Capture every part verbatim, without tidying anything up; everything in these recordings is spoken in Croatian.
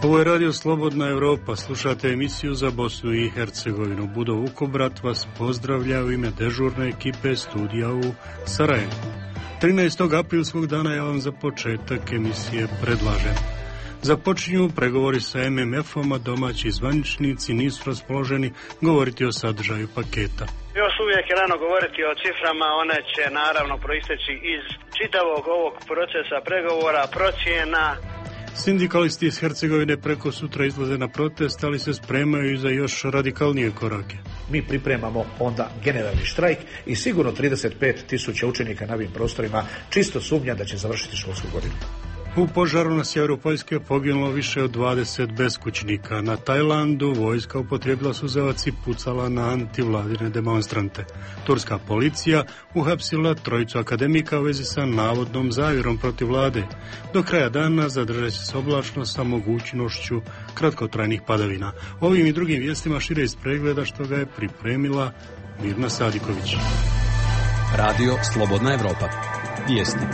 Ovo je Radio Slobodna Evropa, slušate emisiju za Bosnu i Hercegovinu. Budo Vukobrat vas pozdravlja u ime dežurne ekipe studija u Sarajevu. trinaestog aprilskog dana ja vam za početak emisije predlažem. Započinju pregovori sa em em efom, a domaći zvaničnici nisu raspoloženi govoriti o sadržaju paketa. Još uvijek je rano govoriti o ciframa, one će naravno proisteći iz čitavog ovog procesa pregovora, procjena. Sindikalisti iz Hercegovine preko sutra izlaze na protest, ali se spremaju i za još radikalnije korake. Mi pripremamo onda generalni štrajk i sigurno trideset pet tisuća učenika na ovim prostorima čisto sumnja da će završiti školsku godinu. U požaru na sjeveru Poljske poginulo više od dvadeset beskućnika. Na Tajlandu vojska upotrijebila suzavac i pucala na antivladine demonstrante. Turska policija uhapsila trojicu akademika u vezi sa navodnom zavjerom protiv vlade. Do kraja dana zadržat će se oblačno sa mogućnošću kratkotrajnih padavina. Ovim i drugim vijestima šire iz pregleda što ga je pripremila Mirna Sadiković. Radio Slobodna Evropa. Vijesti.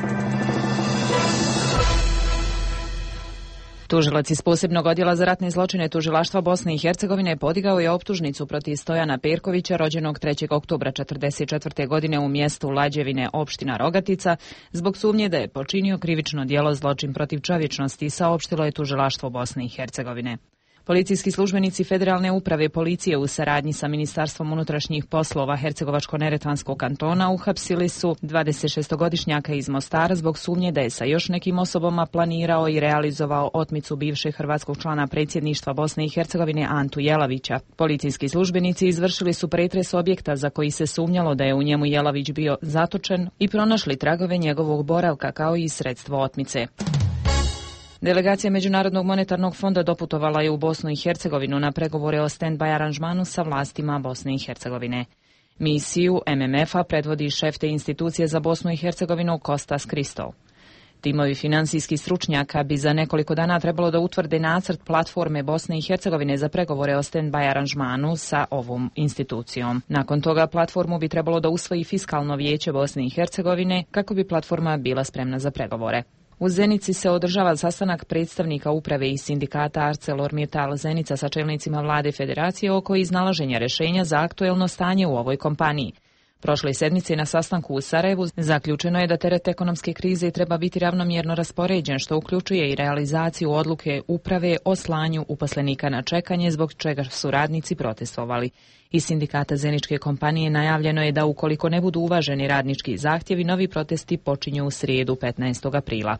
Tužilac iz posebnog odjela za ratne zločine Tužilaštva Bosne i Hercegovine podigao je optužnicu protiv Stojana Perkovića, rođenog trećeg oktobra četrdeset četvrte. godine u mjestu Lađevine, opština Rogatica, zbog sumnje da je počinio krivično djelo zločin protiv čovječnosti, saopštilo je Tužilaštvo Bosne i Hercegovine. Policijski službenici Federalne uprave policije u saradnji sa Ministarstvom unutrašnjih poslova Hercegovačko-neretvanskog kantona uhapsili su dvadesetšestogodišnjaka iz Mostara zbog sumnje da je sa još nekim osobama planirao i realizovao otmicu bivšeg hrvatskog člana predsjedništva Bosne i Hercegovine Antu Jelavića. Policijski službenici izvršili su pretres objekta za koji se sumnjalo da je u njemu Jelavić bio zatočen i pronašli tragove njegovog boravka kao i sredstvo otmice. Delegacija Međunarodnog monetarnog fonda doputovala je u Bosnu i Hercegovinu na pregovore o stand-by aranžmanu sa vlastima Bosne i Hercegovine. Misiju em em efa predvodi šef te institucije za Bosnu i Hercegovinu Kostas Kristov. Timovi finansijskih stručnjaka bi za nekoliko dana trebalo da utvrde nacrt platforme Bosne i Hercegovine za pregovore o stand-by aranžmanu sa ovom institucijom. Nakon toga platformu bi trebalo da usvoji Fiskalno vijeće Bosne i Hercegovine kako bi platforma bila spremna za pregovore. U Zenici se održava sastanak predstavnika uprave i sindikata ArcelorMittal Zenica sa čelnicima vlade federacije oko iznalaženja rješenja za aktuelno stanje u ovoj kompaniji. Prošle sedmice na sastanku u Sarajevu zaključeno je da teret ekonomske krize treba biti ravnomjerno raspoređen, što uključuje i realizaciju odluke uprave o slanju uposlenika na čekanje, zbog čega su radnici protestovali. Iz sindikata Zeničke kompanije najavljeno je da ukoliko ne budu uvaženi radnički zahtjevi, novi protesti počinju u srijedu petnaestog aprila.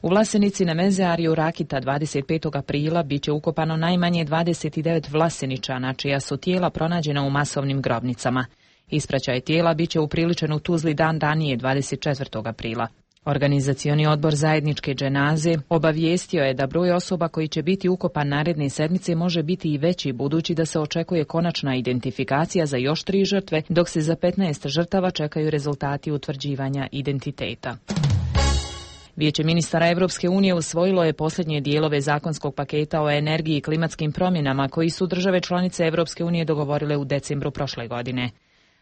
U Vlasenici na Mezeariju Rakita dvadeset petog aprila biće ukopano najmanje dvadeset devet Vlaseničana, čija su tijela pronađena u masovnim grobnicama. Ispraćaj tijela biće upriličen u Tuzli dan ranije dvadeset četvrtog aprila. Organizacioni odbor zajedničke dženaze obavijestio je da broj osoba koji će biti ukopan naredne sedmice može biti i veći, budući da se očekuje konačna identifikacija za još tri žrtve, dok se za petnaest žrtava čekaju rezultati utvrđivanja identiteta. Vijeće ministara Evropske unije usvojilo je posljednje dijelove zakonskog paketa o energiji i klimatskim promjenama koji su države članice Evropske unije dogovorile u decembru prošle godine.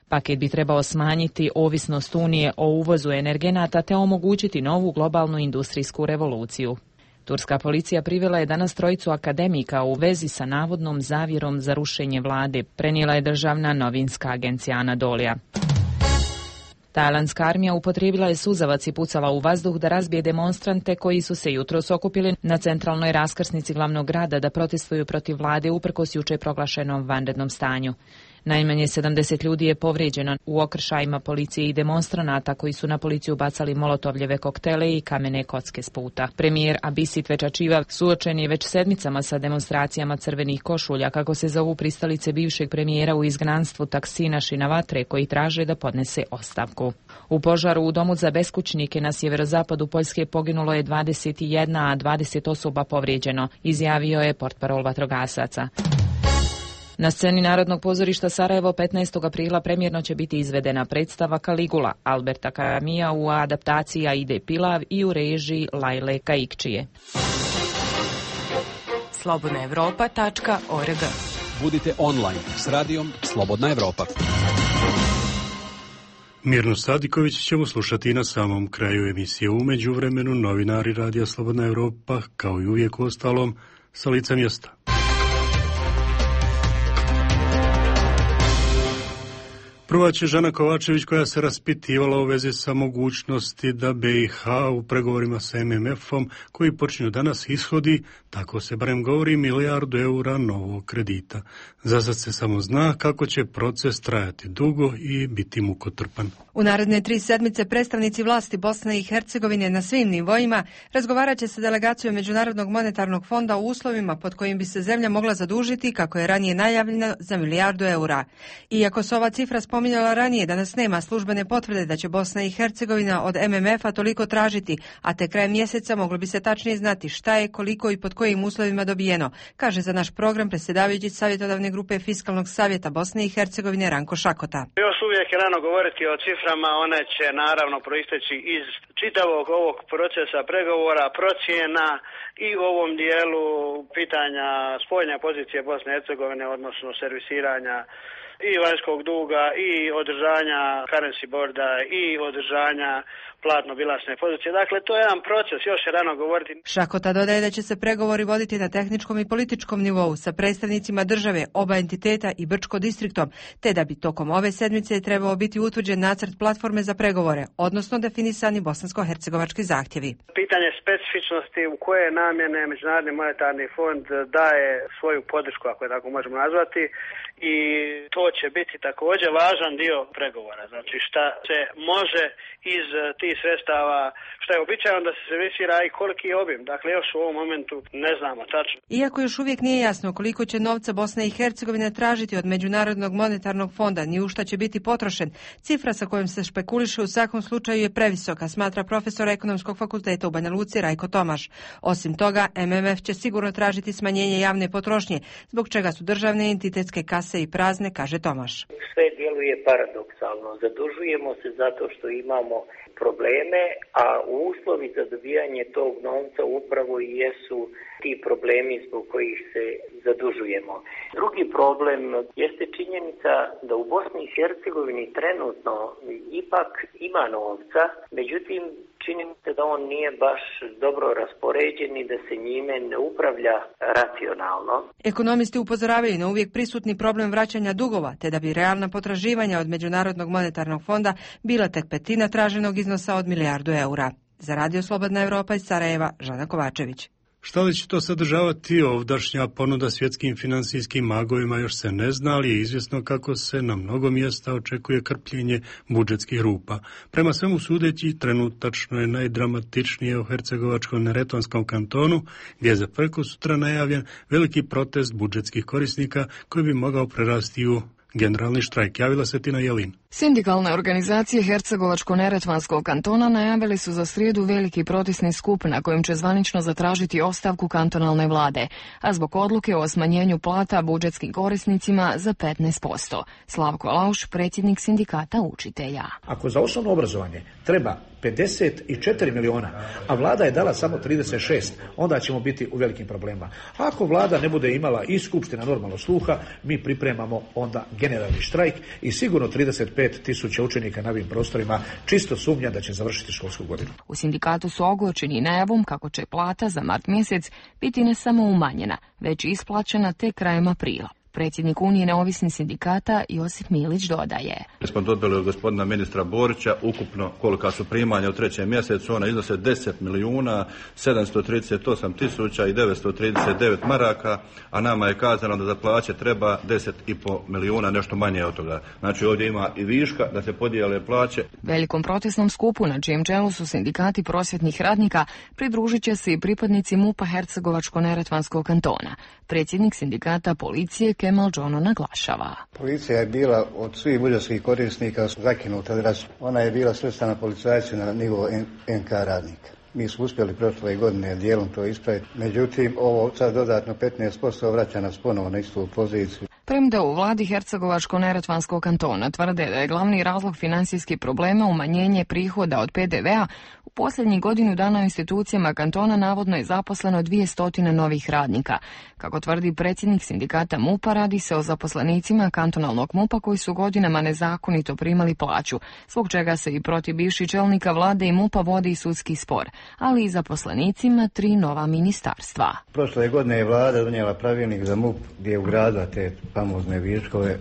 Paket bi trebao smanjiti ovisnost Unije o uvozu energenata te omogućiti novu globalnu industrijsku revoluciju. Turska policija privela je danas trojicu akademika u vezi sa navodnom zavjerom za rušenje vlade, prenijela je državna novinska agencija Anadolija. Tajlandska armija upotrijebila je suzavac i pucala u vazduh da razbije demonstrante koji su se jutros okupili na centralnoj raskrsnici glavnog grada da protestuju protiv vlade uprkos juče proglašenom vanrednom stanju. Najmanje sedamdeset ljudi je povrijeđeno u okršajima policije i demonstranata koji su na policiju bacali molotovljeve koktele i kamene kocke s puta. Premijer Abisit Večačiva suočen je već sedmicama sa demonstracijama crvenih košulja, kako se zovu pristalice bivšeg premijera u izgnanstvu Taksina Šinavatre, koji traže da podnese ostavku. U požaru u domu za beskućnike na sjeverozapadu Poljske poginulo je dvadeset jedna, a dvadeset osoba povrijeđeno, izjavio je portparol vatrogasaca. Na sceni Narodnog pozorišta Sarajevo petnaestog aprila premjerno će biti izvedena predstava Kaligula Alberta Caramija u adaptaciji Aide Pilav i u režiji Lajle Kaikčije. slobodna evropa tačka org. Budite online s radijom Slobodna Evropa. Mirnu Sadiković ćemo slušati i na samom kraju emisije. U međuvremenu novinari Radija Slobodna Evropa, kao i uvijek u ostalom, sa lica mjesta. Prva će Žana Kovačević, koja se raspitivala u vezi sa mogućnosti da B i H u pregovorima sa M M F-om, koji počinju danas, ishodi, tako se barem govori, milijardu eura novog kredita. Za sad se samo zna kako će proces trajati dugo i biti mukotrpan. U naredne tri sedmice predstavnici vlasti Bosne i Hercegovine na svim nivoima razgovarat će sa delegacijom Međunarodnog monetarnog fonda u uslovima pod kojim bi se zemlja mogla zadužiti, kako je ranije najavljeno, za milijardu eura. Iako se ova cifra spominjala ranije, danas nema službene potvrde da će Bosna i Hercegovina od M M F-a toliko tražiti, a te krajem mjeseca moglo bi se tačnije znati šta je, koliko i pod kojim uslovima dobijeno, kaže za naš program predsjedavajući savjetodavne grupe Fiskalnog savjeta Bosne i Hercegovine Ranko Šakota. Još uvijek je rano govoriti o ciframa, one će naravno proisteći iz čitavog ovog procesa pregovora, procjena i u ovom dijelu pitanja spoljne pozicije Bosne i Hercegovine, odnosno servisiranja i vanjskog duga i održanja currency boarda i održanja platno-bilansne pozicije. Dakle, to je jedan proces, još je rano govoriti. Šakota dodaje da će se pregovori voditi na tehničkom i političkom nivou sa predstavnicima države, oba entiteta i Brčko distriktom, te da bi tokom ove sedmice trebao biti utvrđen nacrt platforme za pregovore, odnosno definisani bosansko-hercegovački zahtjevi. Pitanje specifičnosti u koje namjene Međunarodni monetarni fond daje svoju podršku, ako je tako možemo nazvati, i to će biti također važan dio pregovora. Znači šta se može iz tih sredstava, šta je običajno da se servisira i koliki je obim. Dakle, još u ovom momentu ne znamo tačno. Iako još uvijek nije jasno koliko će novca Bosna i Hercegovina tražiti od Međunarodnog monetarnog fonda, ni u šta će biti potrošen, cifra sa kojom se špekuliše u svakom slučaju je previsoka, smatra profesor Ekonomskog fakulteta u Banja Luci Rajko Tomaš. Osim toga, M M F će sigurno tražiti smanjenje javne potrošnje, zbog čega su državne entitetske kase i prazne, kaže Tomaš. Sve djeluje paradoksalno. Zadužujemo se zato što imamo probleme, a uslovi za dobijanje tog novca upravo i jesu ti problemi zbog kojih se zadužujemo. Drugi problem jeste činjenica da u Bosni i Hercegovini trenutno ipak ima novca, međutim čini mi se da on nije baš dobro raspoređen i da se njime ne upravlja racionalno. Ekonomisti upozoravaju na uvijek prisutni problem vraćanja dugova, te da bi realna potraživanja od Međunarodnog monetarnog fonda bila tek petina traženog iznosa od milijardu eura. Za Radio Slobodna Evropa iz Sarajeva, Žana Kovačević. Šta li će to sadržavati ovdašnja ponuda svjetskim financijskim magovima još se ne zna, ali je izvjesno kako se na mnogo mjesta očekuje krpljenje budžetskih rupa. Prema svemu sudeći, trenutačno je najdramatičnije u Hercegovačko-neretvanskom kantonu, gdje je za prekosutra najavljen veliki protest budžetskih korisnika koji bi mogao prerasti u generalni štrajk. Javila se Tina Jelin. Sindikalne organizacije Hercegovačko-neretvanskog kantona najavili su za srijedu veliki protestni skup na kojem će zvanično zatražiti ostavku kantonalne vlade, a zbog odluke o smanjenju plata budžetskim korisnicima za petnaest posto. Slavko Lauš, predsjednik sindikata učitelja. Ako za osnovno obrazovanje treba pedeset četiri miliona, a vlada je dala samo trideset šest, onda ćemo biti u velikim problemima. Ako vlada ne bude imala i skupština normalno sluha, mi pripremamo onda generalni štrajk i sigurno trideset pet tisuća učenika na ovim prostorima čisto sumnja da će završiti školsku godinu. U sindikatu su ogorčeni najavom kako će plata za mart mjesec biti ne samo umanjena, već i isplaćena tek krajem aprila. Predsjednik Unije neovisnih sindikata Josip Milić dodaje. Mi smo dobili od gospodina ministra Borića ukupno kolika su primanja u trećem mjesecu, ona iznose deset milijuna sedamsto trideset osam tisuća i devetsto trideset devet maraka, a nama je kazano da za plaće treba deset i pol milijuna, nešto manje od toga. Znači ovdje ima i viška da se podijele plaće. Velikom protestnom skupu na čijem čelu su sindikati prosvjetnih radnika pridružit će se i pripadnici MUP-a Hercegovačko-neretvanskog kantona. Predsjednik sindikata policije Kemal Džono naglašava. Policija je bila od svih budžetskih korisnika zakinuta. Ona je bila svrstana policajci na nivo N K radnika. Mi smo uspjeli prošle godine dijelom to ispraviti. Međutim, ovo sad dodatno petnaest posto vraća nas ponovo na istu poziciju. Premda u vladi Hercegovačko-neretvanskog kantona tvrde da je glavni razlog financijskih problema umanjenje prihoda od P D V-a, posljednjih godinu dana u institucijama kantona navodno je zaposleno dvjesto novih radnika. Kako tvrdi predsjednik sindikata MUP-a, radi se o zaposlenicima kantonalnog MUP-a koji su godinama nezakonito primali plaću, zbog čega se i protiv bivših čelnika vlade i MUP-a vodi i sudski spor, ali i zaposlenicima tri nova ministarstva. Prošle godine je vlada donijela pravilnik za MUP gdje je ugradila te famozne viškove,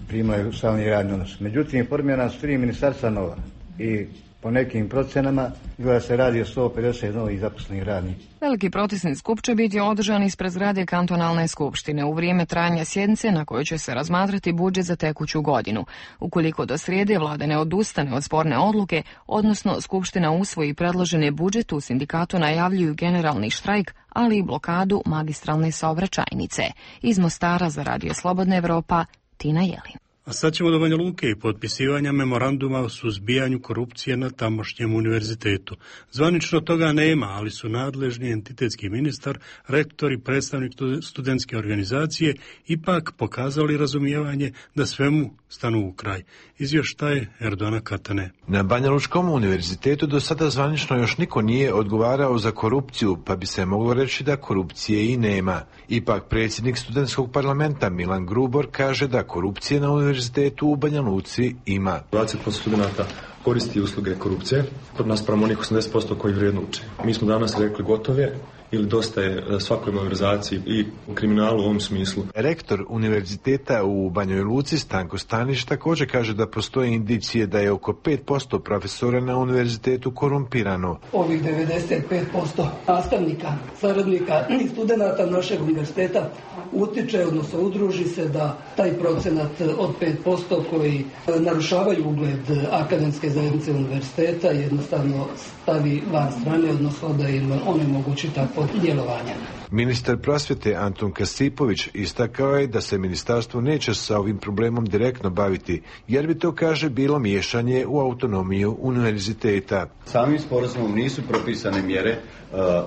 primaju stalni radni odnos. Međutim, formirana su tri ministarstva nova i po nekim procenama izgleda se radi o sto pedeset novih zaposlenih radnika. Veliki protestni skup će biti održan ispred zgrade kantonalne skupštine u vrijeme trajanja sjednice na kojoj će se razmatrati budžet za tekuću godinu. Ukoliko do srijede vlada ne odustane od sporne odluke, odnosno skupština usvoji predložene budžet, u sindikatu najavljuju generalni štrajk, ali i blokadu magistralne saobraćajnice. Iz Mostara za Radio Slobodna Evropa, Tina Jelin. A sad ćemo do Banja Luke i potpisivanja memoranduma o suzbijanju korupcije na tamošnjem univerzitetu. Zvanično toga nema, ali su nadležni entitetski ministar, rektor i predstavnik studentske organizacije ipak pokazali razumijevanje da svemu stanu u kraj. Izvještaj Erdona Katane. Na Banja Lučkom univerzitetu do sada zvanično još niko nije odgovarao za korupciju, pa bi se moglo reći da korupcije i nema. Ipak predsjednik studentskog parlamenta Milan Grubor kaže da korupcije na univerzitetu u Banja Luci ima. dvadeset posto studenta koristi usluge korupcije, kod nas prema onih osamdeset posto koji vrijedno uče. Mi smo danas rekli gotove ili dosta je svakoj malverzaciji i kriminalu u ovom smislu. Rektor univerziteta u Banjoj Luci Stanko Stanić također kaže da postoje indicije da je oko pet posto profesora na univerzitetu korumpirano. Ovih devedeset pet posto nastavnika, saradnika i studenata našeg univerziteta utiče, odnosno udruži se da taj procenat od pet posto koji narušavaju ugled akademske zajednice univerziteta jednostavno stavi van strane, odnosno da im onemogući takvo djelovanje. Ministar prosvjete Antun Kasipović istakao je da se ministarstvo neće sa ovim problemom direktno baviti, jer bi to, kaže, bilo miješanje u autonomiju univerziteta. Samim sporazumom nisu propisane mjere.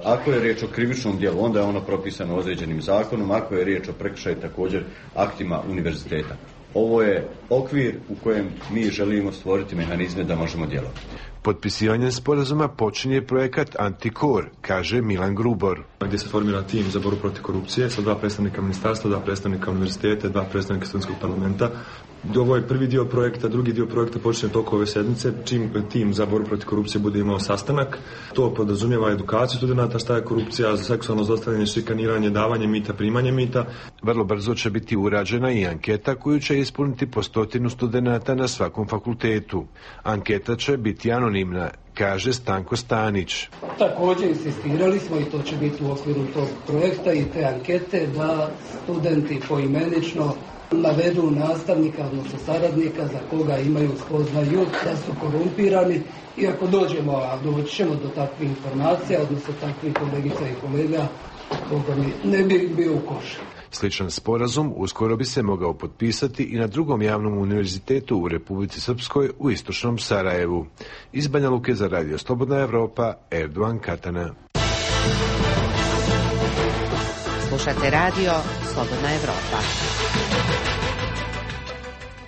Ako je riječ o krivičnom djelu, onda je ono propisano određenim zakonom, ako je riječ o prekršaju, također aktima univerziteta. Ovo je okvir u kojem mi želimo stvoriti mehanizme da možemo djelovati. Potpisivanjem sporazuma počinje projekat Antikor, kaže Milan Grubor. Gdje se formira tim za borbu protiv korupcije sa dva predstavnika ministarstva, dva predstavnika univerziteta, dva predstavnika studentskog parlamenta. Ovo je prvi dio projekta, drugi dio projekta počinje tokom ove sedmice, čim tim za borbu protiv korupcije bude imao sastanak. To podrazumijeva edukaciju studenata šta je korupcija, za seksualno zlostavljanje, šikaniranje, davanje mita, primanje mita. Vrlo brzo će biti urađena i anketa koju će ispuniti po stotinu studenata na svakom fakultetu. Anketa će biti anonimna, kaže Stanko Stanić. Također insistirali smo, i to će biti u okviru tog projekta i te ankete, da studenti poimenično navedu nastavnika, odnosno saradnika za koga imaju spoznaju da su korumpirani, i ako dođemo, a doći ćemo do takvih informacija, odnosno takvih kolegica i kolega, koga mi ne bi bio u košu. Sličan sporazum uskoro bi se mogao potpisati i na drugom javnom univerzitetu u Republici Srpskoj u istočnom Sarajevu. Iz Banja Luke za Radio Slobodna Evropa, Erdogan Katana. Slušate Radio Slobodna Evropa.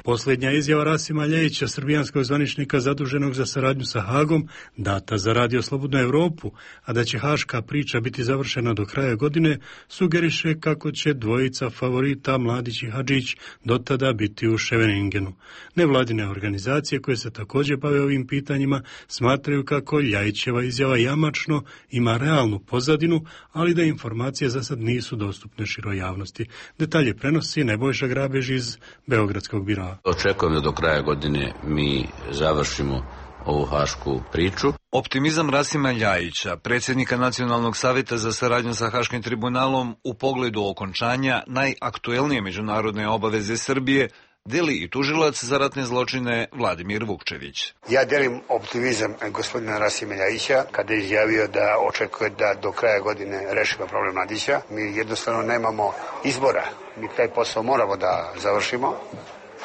Posljednja izjava Rasima Ljejića, srbijanskog zvaničnika zaduženog za saradnju sa Hagom, data za Radio Slobodnu Evropu, a da će haška priča biti završena do kraja godine, sugeriše kako će dvojica favorita Mladić i Hadžić do tada biti u Ševeningenu. Nevladine organizacije koje se također bave ovim pitanjima smatraju kako Ljajićeva izjava jamačno ima realnu pozadinu, ali da informacije za sad nisu dostupne široj javnosti. Detalje prenosi Nebojša Grabež iz Beogradskog biroa. Očekujem da do kraja godine mi završimo ovu hašku priču. Optimizam Rasima Ljajića, predsjednika Nacionalnog savjeta za saradnju sa Haškim tribunalom u pogledu okončanja najaktuelnije međunarodne obaveze Srbije, deli i tužilac za ratne zločine Vladimir Vukčević. Ja delim optimizam gospodina Rasima Ljajića kada je izjavio da očekuje da do kraja godine rešimo problem Mladića. Mi jednostavno nemamo izbora. Mi taj posao moramo da završimo.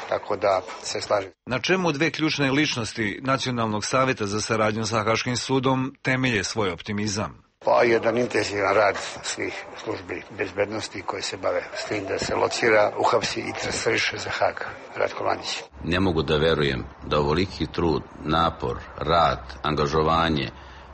Tako da se slažem. Na čemu dve ključne ličnosti Nacionalnog savjeta za saradnju sa Haškim sudom temelje svoj optimizam? Pa jedan intenzivan rad svih službi bezbednosti koji se bave s tim da se locira, uhapsi i transferiše za Hag Ratko Mladić. Ne mogu da verujem da ovoliki trud, napor, rad, angažovanje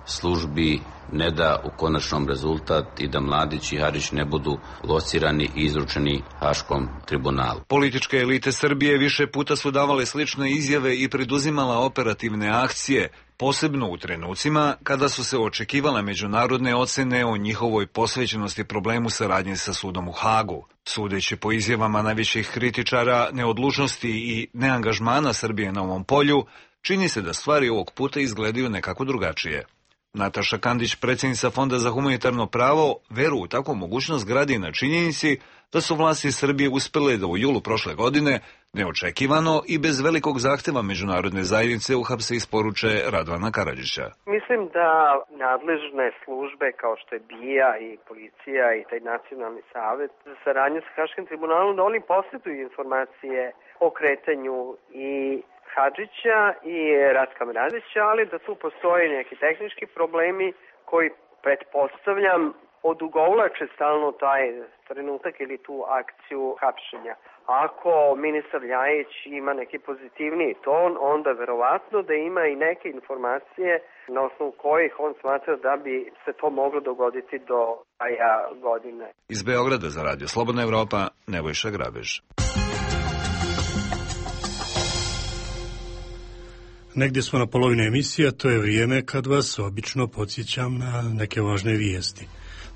službi ne da u konačnom rezultat i da Mladić i Harić ne budu locirani i izručeni Haškom tribunalu. Političke elite Srbije više puta su davale slične izjave i preduzimala operativne akcije, posebno u trenucima kada su se očekivale međunarodne ocene o njihovoj posvećenosti problemu saradnje sa sudom u Hagu. Sudeći po izjavama najvećih kritičara neodlučnosti i neangažmana Srbije na ovom polju, čini se da stvari ovog puta izgledaju nekako drugačije. Nataša Kandić, predsjednica Fonda za humanitarno pravo, veru u takvu mogućnost gradi na činjenici da su vlasti Srbije uspjele da u julu prošle godine neočekivano i bez velikog zahtjeva međunarodne zajednice uhapse isporuče Radovana Karadžića. Mislim da nadležne službe kao što je B I A i policija i taj nacionalni savjet za saradnju sa Haškim tribunalom, da oni posjeduju informacije o kretanju i Hadžića i Ratka Mladića, ali da tu postoje neki tehnički problemi koji, pretpostavljam, odugovlače stalno taj trenutak ili tu akciju hapšenja. Ako ministar Ljajić ima neki pozitivniji ton, onda verovatno da ima i neke informacije na osnovu kojih on smatra da bi se to moglo dogoditi do kraja godine. Iz Beograda za Radio Slobodna Evropa, Nebojša Grabež. Negdje smo na polovini emisije, to je vrijeme kad vas obično podsjećam na neke važne vijesti.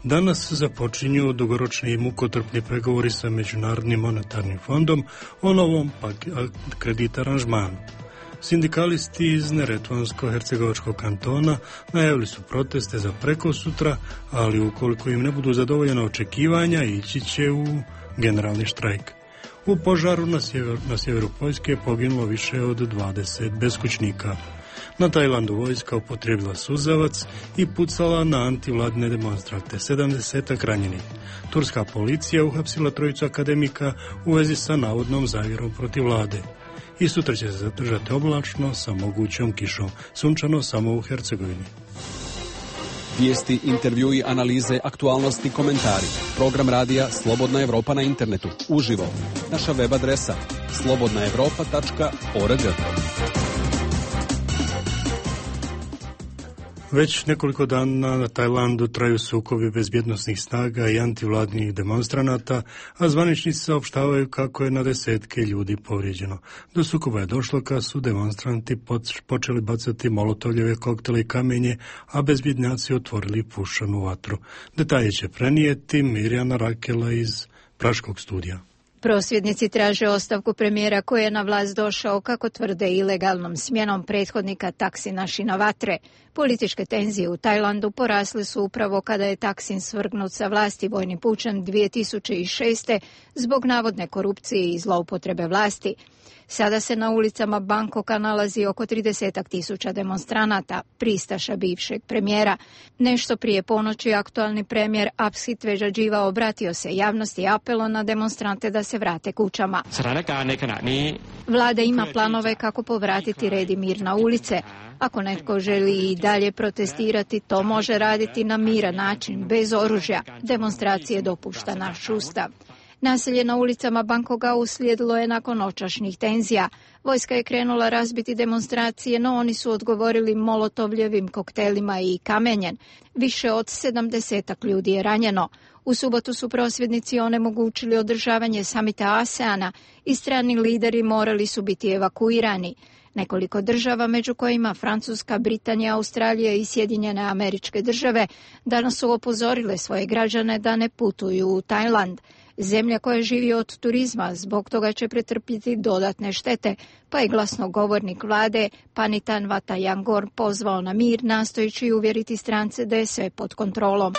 Danas započinju dugoročni i mukotrpni pregovori sa Međunarodnim monetarnim fondom o novom kredit aranžmanu. Sindikalisti iz Neretvansko-Hercegovačkog kantona najavili su proteste za prekosutra, ali ukoliko im ne budu zadovoljena očekivanja, ići će u generalni štrajk. U požaru na sjeveru, na sjeveru Poljske je poginulo više od dvadeset beskućnika. Na Tajlandu vojska upotrijebila suzavac i pucala na antivladine demonstrante, sedamdesetak ranjenih. Turska policija uhapsila trojicu akademika u vezi sa navodnom zavjerom protiv vlade. I sutra će se zadržati oblačno sa mogućom kišom, sunčano samo u Hercegovini. Vijesti, intervjui, analize, aktualnosti, komentari. Program radija Slobodna Evropa na internetu. Uživo. Naša web adresa slobodna evropa tačka org. Već nekoliko dana na Tajlandu traju sukobi bezbjednosnih snaga i antivladnih demonstranata, a zvaničnici saopštavaju kako je na desetke ljudi povrijeđeno. Do sukoba je došlo kad su demonstranti počeli bacati molotovljeve koktele i kamenje, a bezbjednjaci otvorili pušanu vatru. Detalje će prenijeti Mirjana Rakela iz Praškog studija. Prosvjednici traže ostavku premijera koji je na vlast došao, kako tvrde, ilegalnom smjenom prethodnika Taksina Shinawatre. Političke tenzije u Tajlandu porasle su upravo kada je Taksin svrgnut sa vlasti vojnim pučem dvije tisuće šeste zbog navodne korupcije i zloupotrebe vlasti. Sada se na ulicama Bangkoka nalazi oko trideset tisuća demonstranata, pristaša bivšeg premijera. Nešto prije ponoći aktualni premijer Absit Vežadživa obratio se javnosti i apelo na demonstrante da se vrate kućama. Vlada ima planove kako povratiti red i mir na ulice. Ako netko želi i dalje protestirati, to može raditi na miran način, bez oružja. Demonstracije dopušta naš ustav. Nasilje na ulicama Bangkoka uslijedilo je nakon noćašnjih tenzija. Vojska je krenula razbiti demonstracije, no oni su odgovorili molotovljevim koktelima i kamenjem. Više od sedamdesetak ljudi je ranjeno. U subotu su prosvjednici onemogućili održavanje samita ASEANA i strani lideri morali su biti evakuirani. Nekoliko država, među kojima Francuska, Britanija, Australija i Sjedinjene Američke Države, danas su upozorile svoje građane da ne putuju u Tajland. Zemlja koja živi od turizma zbog toga će pretrpjeti dodatne štete, pa je glasnogovornik vlade Panitan Vatayangor pozvao na mir, nastojeći uvjeriti strance da je sve pod kontrolom.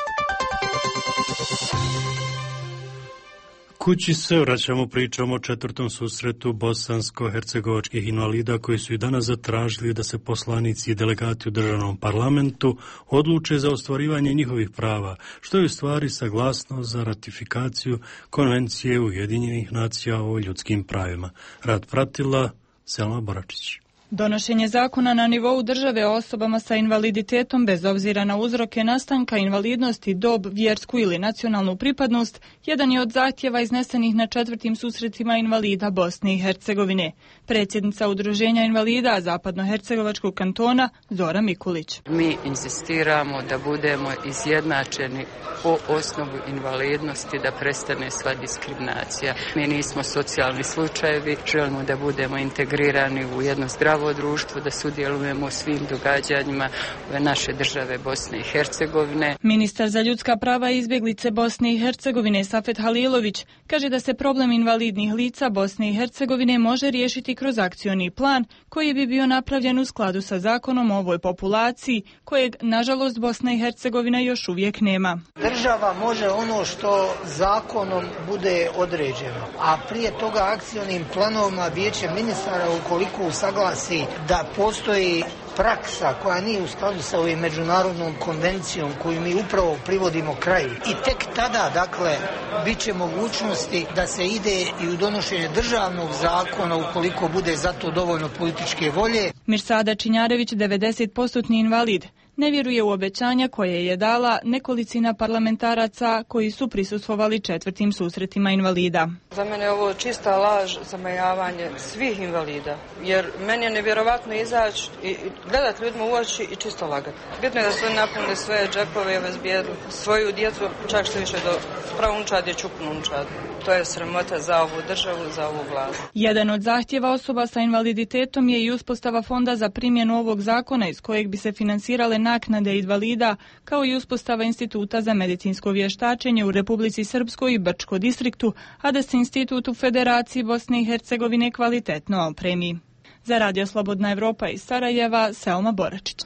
Kući se vraćamo pričom o četvrtom susretu bosansko-hercegovačkih invalida koji su i danas zatražili da se poslanici i delegati u državnom parlamentu odluče za ostvarivanje njihovih prava, što je u stvari saglasnost za ratifikaciju Konvencije Ujedinjenih nacija o ljudskim pravima. Rad pratila Selma Boračić. Donošenje zakona na nivou države o osobama sa invaliditetom bez obzira na uzroke nastanka invalidnosti, dob, vjersku ili nacionalnu pripadnost jedan je od zahtjeva iznesenih na četvrtim susretima invalida Bosne i Hercegovine. Predsjednica Udruženja invalida Zapadnohercegovačkog kantona Zora Mikulić. Mi insistiramo da budemo izjednačeni po osnovu invalidnosti, da prestane sva diskriminacija. Mi nismo socijalni slučajevi, želimo da budemo integrirani u jedno zdravo društvo, da sudjelujemo u svim događanjima ove naše države Bosne i Hercegovine. Ministar za ljudska prava i izbjeglice Bosne i Hercegovine Safet Halilović kaže da se problem invalidnih lica Bosne i Hercegovine može riješiti kroz akcioni plan koji bi bio napravljen u skladu sa zakonom o ovoj populaciji, kojeg, nažalost, Bosna i Hercegovina još uvijek nema. Država može ono što zakonom bude određeno, a prije toga akcionim planovima Vijeće ministara, ukoliko usaglasi da postoji praksa koja nije u skladu sa ovim međunarodnom konvencijom koju mi upravo privodimo kraju. I tek tada, dakle, bit će mogućnosti da se ide i u donošenje državnog zakona ukoliko bude za to dovoljno političke volje. Mirsada Činjarević, devedeset posto invalid, ne vjeruje u obećanja koje je dala nekolicina parlamentaraca koji su prisustvovali četvrtim susretima invalida. Za mene je ovo čista laž, zamajavanje svih invalida, jer meni je nevjerovatno izaći i gledati ljudima u oči i čisto lagati. Bitno je da su napunili svoje džepove i obezbijedili svoju djecu, čak što više do pravunčad je čupnunčad. To je sramota za ovu državu, za ovu vladu. Jedan od zahtjeva osoba sa invaliditetom je i uspostava fonda za primjenu ovog zakona iz kojeg bi se finansirale naknade invalida, kao i uspostava instituta za medicinsko vještačenje u Republici Srpskoj i Brčko distriktu, a da se institut u Federaciji Bosne i Hercegovine kvalitetno opremi. Za Radio Slobodna Evropa iz Sarajeva, Selma Boračić.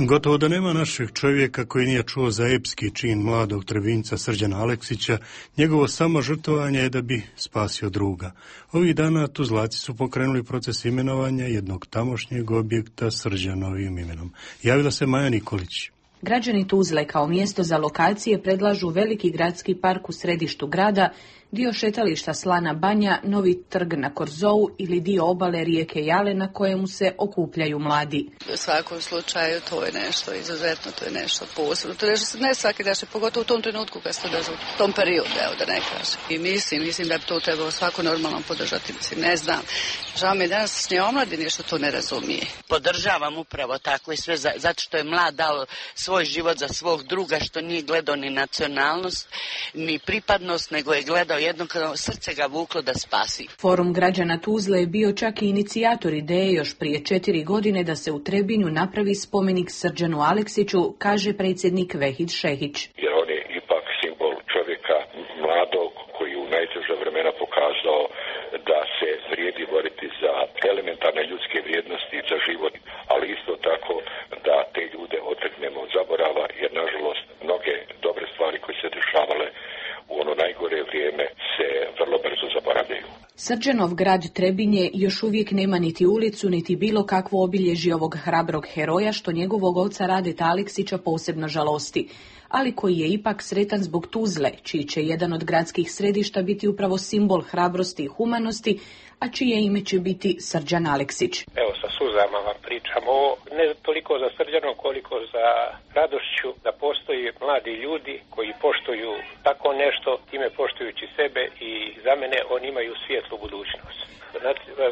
Gotovo da nema našeg čovjeka koji nije čuo za epski čin mladog Trebinjca Srđana Aleksića. Njegovo samo žrtvovanje je da bi spasio druga. Ovih dana Tuzlaci su pokrenuli proces imenovanja jednog tamošnjeg objekta Srđanovim imenom. Javila se Maja Nikolić. Građani Tuzle kao mjesto za lokacije predlažu veliki gradski park u središtu grada, dio šetališta Slana Banja, novi trg na Korzou ili dio obale rijeke Jale na kojemu se okupljaju mladi. U svakom slučaju to je nešto izuzetno, to je nešto posebno. To je nešto ne svaki daš, pogotovo u tom trenutku kad se dođe u tom periodu, evo da ne kažem. I mislim, mislim da bi to trebalo svako normalno podržati. Mislim, ne znam. Žao mi je danas ne omladine što to ne razumije. Podržavam upravo tako i sve za, zato što je mlad dao svoj život za svog druga, što nije gledao ni nacionalnost, ni pripadnost, nego je gledao jedno kada srce ga vuklo da spasi. Forum građana Tuzle je bio čak i inicijator ideje još prije četiri godine da se u Trebinju napravi spomenik Srđanu Aleksiću, kaže predsjednik Vehid Šehić. Jer on je ipak simbol čovjeka mladog koji u najteža vremena pokazao da se vrijedi boriti za elementarne ljudske vrijednosti za život, ali isto tako da te ljude otrgnemo od zaborava, jer nažalost mnoge dobre stvari koje se dešavale u ono najgore vrijeme se vrlo brzo zaboravljaju. Srđanov grad Trebinje još uvijek nema niti ulicu, niti bilo kakvo obilježje ovog hrabrog heroja, što njegovog oca Radeta Aleksića posebno žalosti, ali koji je ipak sretan zbog Tuzle, čiji će jedan od gradskih središta biti upravo simbol hrabrosti i humanosti, a čije ime će biti Srđan Aleksić. Evo, sa suzama vam pričam ovo, ne toliko za Srđanom, koliko za radošću da postoji mladi ljudi koji poštuju tako nešto, time poštujući sebe, i za mene oni imaju svijetlu budućnost.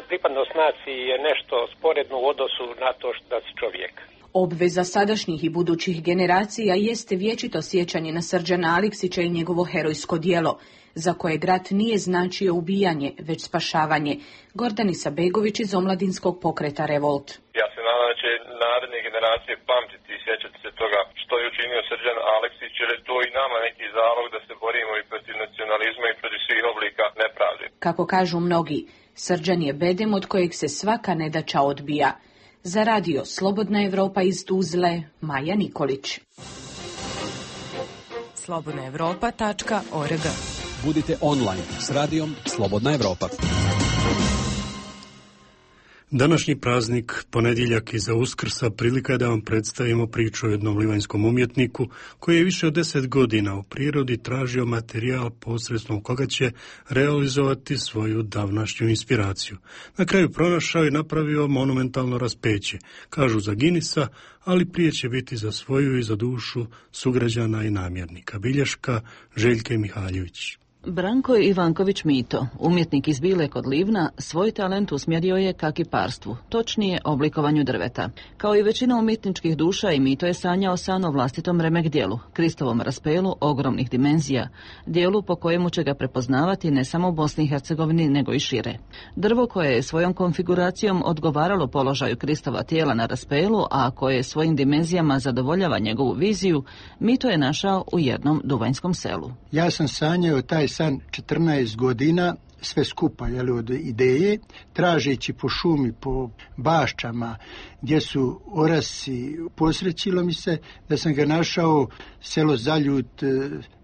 Pripadnost naciji je nešto sporedno u odnosu na to da si čovjek. Obveza sadašnjih i budućih generacija jeste vječito sjećanje na Srđana Aleksića i njegovo herojsko djelo, za koje rat nije značio ubijanje, već spašavanje. Gordana Begović iz omladinskog pokreta Revolt. Ja se nadam da će naredne generacije pamtiti i sjećati se toga što je učinio Srđan Aleksić, jer je to i nama neki zalog da se borimo i protiv nacionalizma i protiv svih oblika nepravde. Kako kažu mnogi, Srđan je bedem od kojeg se svaka nedaća odbija. Za radio Slobodna Evropa iz Tuzle, Maja Nikolić. slobodna evropa tačka org. Budite online s radijom Slobodna Evropa. Današnji praznik, ponedjeljak iza Uskrsa, prilika je da vam predstavimo priču o jednom livanjskom umjetniku koji je više od deset godina u prirodi tražio materijal posredstvom koga će realizovati svoju davnašnju inspiraciju. Na kraju pronašao i napravio monumentalno raspeće, kažu za Ginisa, ali prije će biti za svoju i za dušu sugrađana i namjernika. Bilješka Željke Mihaljević. Branko Ivanković Mito, umjetnik iz Bile kod Livna, svoj talent usmjerio je ka kiparstvu, točnije oblikovanju drveta. Kao i većina umjetničkih duša, i Mito je sanjao san o vlastitom remek dijelu, Kristovom raspelu ogromnih dimenzija, dijelu po kojemu će ga prepoznavati ne samo u Bosni i Hercegovini, nego i šire. Drvo koje je svojom konfiguracijom odgovaralo položaju Kristova tijela na raspelu, a koje svojim dimenzijama zadovoljava njegovu viziju, Mito je našao u jednom duvanjskom selu. Ja sam sanjao taj san četrnaest godina, sve skupa, jel, od ideje, tražeći po šumi, po baščama, gdje su orasi, posrećilo mi se da sam ga našao, selo Zaljut,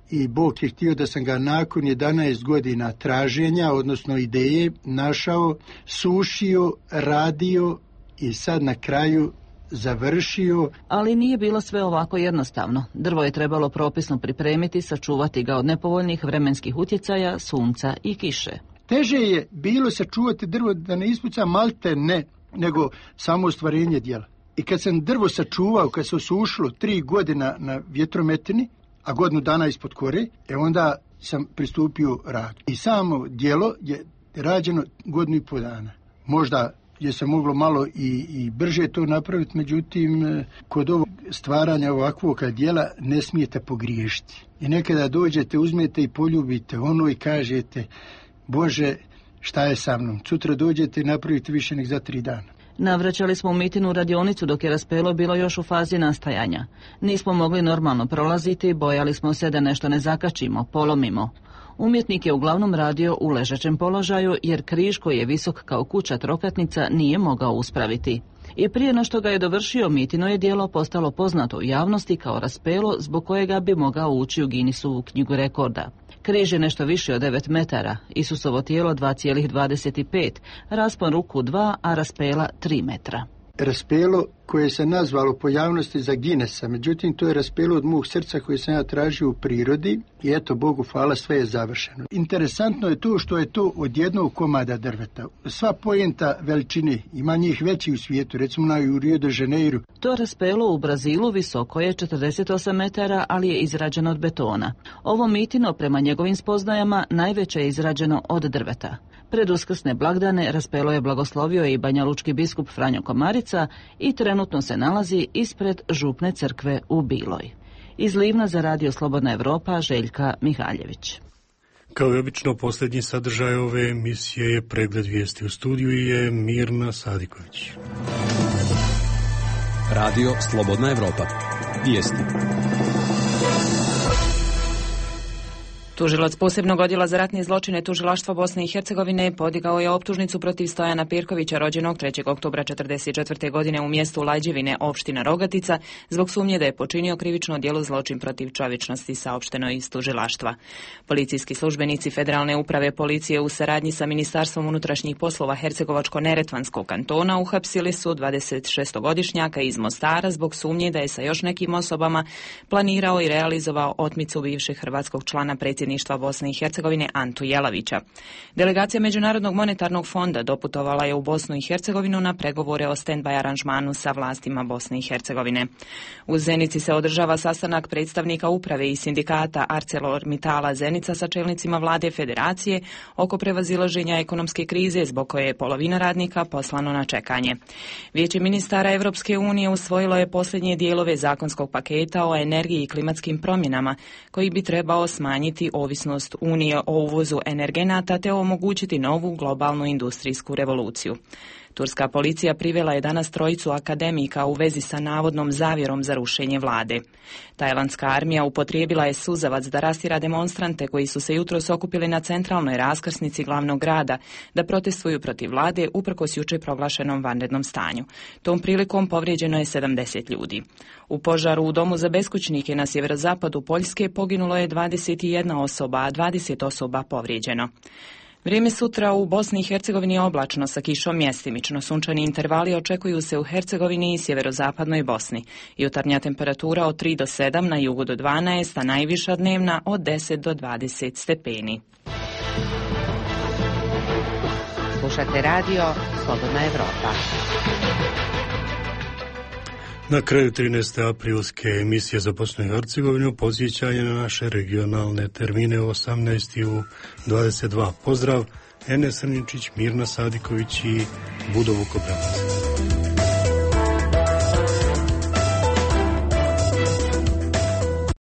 i Bog je htio da sam ga nakon jedanaest godina traženja, odnosno ideje, našao, sušio, radio i sad na kraju završio. Ali nije bilo sve ovako jednostavno. Drvo je trebalo propisno pripremiti, sačuvati ga od nepovoljnih vremenskih utjecaja, sunca i kiše. Teže je bilo sačuvati drvo da ne ispuca malte ne, nego samo ostvarenje djela. I kad sam drvo sačuvao, kad se osušilo tri godina na vjetrometini, a godinu dana ispod kore, e onda sam pristupio radu. I samo djelo je rađeno godinu i pol dana. Možda je se moglo malo i, i brže to napraviti, međutim, kod ovog stvaranja ovakvog djela ne smijete pogriješiti. I nekada dođete, uzmete i poljubite ono i kažete, Bože, šta je sa mnom? Sutra dođete i napravite više nek za tri dana. Navraćali smo u Mitinu radionicu dok je raspelo bilo još u fazi nastajanja. Nismo mogli normalno prolaziti, bojali smo se da nešto ne zakačimo, polomimo. Umjetnik je uglavnom radio u ležećem položaju jer križ koji je visok kao kuća trokatnica nije mogao uspraviti. I prije no što ga je dovršio, Mitino je djelo postalo poznato u javnosti kao raspelo zbog kojega bi mogao ući u Guinnessovu knjigu rekorda. Križ je nešto više od devet metara, Isusovo tijelo dva zarez dvadeset pet, raspon ruku dva, a raspela tri metra. Raspelo koje se nazvalo po javnosti za Guinnessa, međutim to je raspelo od mog srca koje sam ja tražio u prirodi i eto, Bogu hvala, sve je završeno. Interesantno je to što je to od jednog komada drveta. Sva poenta veličine, ima njih veći u svijetu, recimo na Rio de Janeiro. To raspelo u Brazilu visoko je četrdeset osam metara, ali je izrađeno od betona. Ovo Mitino, prema njegovim spoznajama, najveće je izrađeno od drveta. Pred uskrsne blagdane raspelo je blagoslovio i banjalučki biskup Franjo Komarica i trenutno se nalazi ispred župne crkve u Biloj. Iz Livna za Radio Slobodna Evropa, Željka Mihaljević. Kao i obično, posljednji sadržaj ove emisije je pregled vijesti. U studiju je Mirna Sadiković. Radio Slobodna Evropa. Vijesti. Tužilac posebnog odjela za ratne zločine Tužilaštva Bosne i Hercegovine podigao je optužnicu protiv Stojana Pirkovića, rođenog trećeg oktobra četrdeset četvrte. godine u mjestu Lajđevine, opština Rogatica, zbog sumnje da je počinio krivično djelo zločin protiv čovječnosti, saopšteno iz tužilaštva. Policijski službenici Federalne uprave policije u saradnji sa Ministarstvom unutrašnjih poslova Hercegovačko-neretvanskog kantona uhapsili su dvadesetšestogodišnjaka iz Mostara zbog sumnje da je sa još nekim osobama planirao i realizovao otmicu bivšeg hrvatskog člana predsjedništva Bosne i Hercegovine Antu Jelavića. Delegacija Međunarodnog monetarnog fonda doputovala je u Bosnu i Hercegovinu na pregovore o stand-by aranžmanu sa vlastima Bosne i Hercegovine. U Zenici se održava sastanak predstavnika uprave i sindikata ArcelorMittala Zenica sa čelnicima vlade federacije oko prevazilaženja ekonomske krize zbog koje je polovina radnika poslano na čekanje. Vijeće ministara Evropske unije usvojilo je posljednje dijelove zakonskog paketa o energiji i klimatskim promjenama koji bi trebao smanjiti ovisnost Unije o uvozu energenata te omogućiti novu globalnu industrijsku revoluciju. Turska policija privela je danas trojicu akademika u vezi sa navodnom zavjerom za rušenje vlade. Tajlandska armija upotrijebila je suzavac da rastjera demonstrante koji su se jutros okupili na centralnoj raskrsnici glavnog grada da protestuju protiv vlade uprkos jučer proglašenom vanrednom stanju. Tom prilikom povrijeđeno je sedamdeset ljudi. U požaru u domu za beskućnike na sjeverozapadu Poljske poginulo je dvadeset jedna osoba, a dvadeset osoba povrijeđeno. Vrijeme sutra u Bosni i Hercegovini je oblačno sa kišom, mjestimično. Sunčani intervali očekuju se u Hercegovini i sjeverozapadnoj Bosni. Jutarnja temperatura od tri do sedam, na jugu do dvanaest, a najviša dnevna od deset do dvadeset stepeni. Slušate radio Slobodna Evropa. Na kraju trinaeste aprilske emisije za Bosnu i Hercegovinu podsjećanje na naše regionalne termine u osamnaest i u dvadeset dva. Pozdrav, Enes Srničić, Mirna Sadiković i Budo Vukobranac.